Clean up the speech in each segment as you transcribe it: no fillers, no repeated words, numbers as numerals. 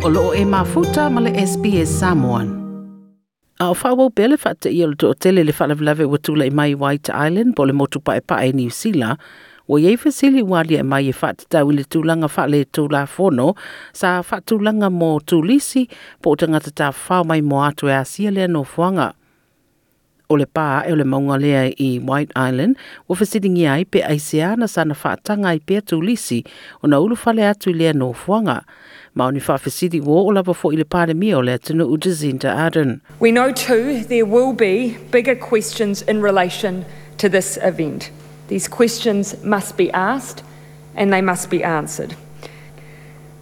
O loo e mafuta ma le SBS Samoan. A o faaauau pea le faateia o le toatele i le faalavelave ua tulai mai White Island po o le motu paepae i Niu Sila, ua i ai fesili ua aliae mai e faatatau i le tulaga faaletulafono sa faatulaga mo turisi po o tagata tafafao maimoa atu e asia lea nofoaga. O le pa ae o le mauga lea i White Island ua fesiligia ai pe aisea na sana faataga ai pea turisi ona ulufale atu i lea nofoaga. Ma o ni faafesili ua oo lava foi i le Palemia o le atunuu Jacinda Ardern. We know too there will be bigger questions in relation to this event. These questions must be asked and they must be answered.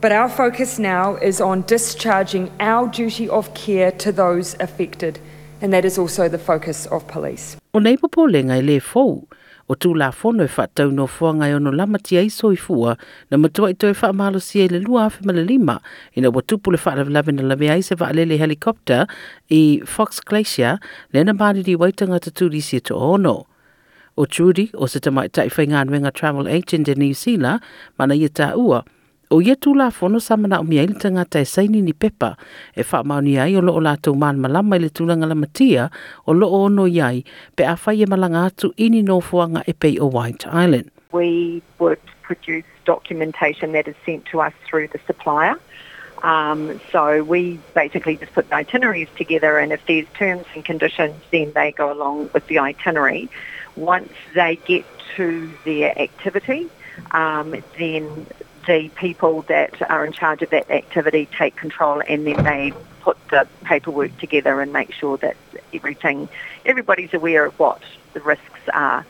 But our focus now is on discharging our duty of care to those affected, and that is also the focus of police. O nei popolega e lē fou. O Tulafono e faatatau nofoaga e ono lamatia ai soifua na matuai toe faamalosia i le 2005 ina ua tupu le faalavelave na lavea ai se vaalele helicopter i Fox Glacier lea na maliliu ai tagata turisi e toaono. O Trudy, o se tamaitai faigaluega travel agent i Niu Sila, ma na ia taua, o ia Tulafono sa manaomia ai le tagata e saini ni pepa e faamaonia ai o lo o latou malamalama i le tulaga lamatia o lo o ono i ai pe afai e malaga atu i ni nofoaga e pei o White Island. We would produce documentation that is sent to us through the supplier. So we basically just put the itineraries together, and if there's terms and conditions, then they go along with the itinerary. Once they get to their activity, then the people that are in charge of that activity take control, and then they put the paperwork together and make sure that everything, everybody's aware of what the risks are.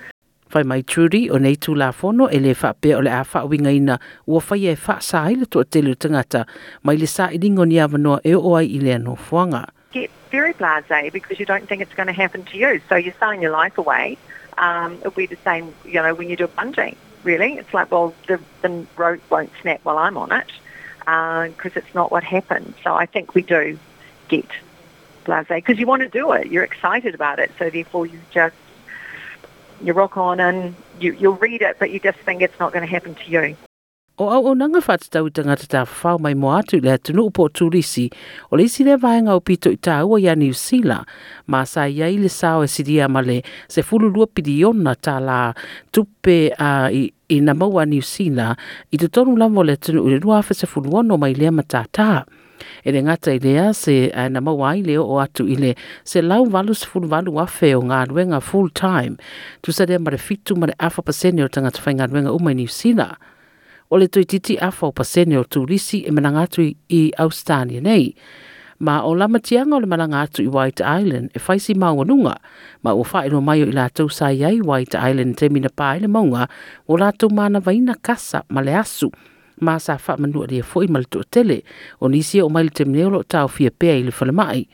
Fai mai Trudy, o nei Tulafono e le faapea o le a faauigaina ua faia e faasa ai le toatele o tagata mai le sailiga o ni avanoa e oo ai i lea nofoaga. Get very blasé because you don't think it's going to happen to you. So you're selling your life away. It'll be the same when you do a bungee, really. It's like, well, the rope won't snap while I'm on it because it's not what happens. So I think we do get blasé because you want to do it. You're excited about it. So therefore you just, you rock on and you'll read it, but you just think it's not going to happen to you. O auaunaga faatatau i tagata tafafao maimoa atu i le atunuu po o turisi, o le isi lea vaega aupito i taua iā Niu Sila, ma sa i ai le sao e silia ma le 12 piliona tālā tupe a i, i na maua a Niu Sila i totonu lava o le atunuu i le 2016 mai lea matātā. E le gata i lea se na maua ai le oo atu i le 188,000 o galuega full time, tusa lea ma le 7.5% o tagata faigaluega uma i Niu Sila. O le toeitiiti afa o pasene o turisi e malaga atu i Ausetalia nei. Ma o lamatiaga o le malaga atu i White Island e fai si maualuga, ma ua faailoa mai o i latou sa i ai White Island i taimi na pa ai le mauga, ua latou manavaina kasa ma le asu, ma sa faamanualia foi ma le toatele o nisi e oo mai le taimi nei o lo o taofia pea i le falemai.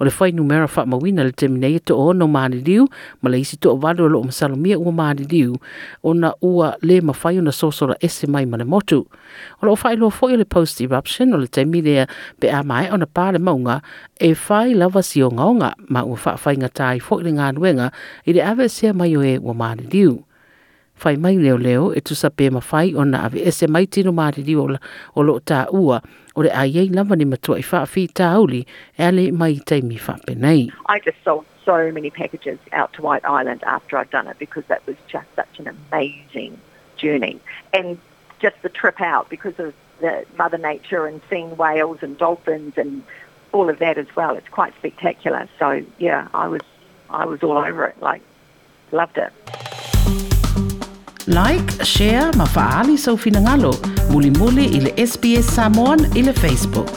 O le fuainumera faamauina i le taimi nei e toaono maliliu ma le isi toavalu o lo o masalomia ua maliliu ona ua le mafai ona sosola ese mai ma le motu. O lo o faailoa foi o le post eruption o le taimi lea pe a maea ona pa le mauga e fai lava si ogaoga ma ua faafaigata ai foi le galuega i le aveesea mai o e ua maliliu. Fai mai leoleo e tusa pe mafai ona aveese mai tino maliliu o lo o taua o le a i ai lava ni matuai faafitauli e ale mai i taimi faapenei. I just sold so many packages out to White Island after I'd done it because that was just such an amazing journey. And just the trip out because of the Mother Nature and seeing whales and dolphins and all of that as well. It's quite spectacular. So yeah, I was all over it. Like, loved it. Like, share ma faaali sou finagalo. Mulimuli i le SBS Samoan i le Facebook.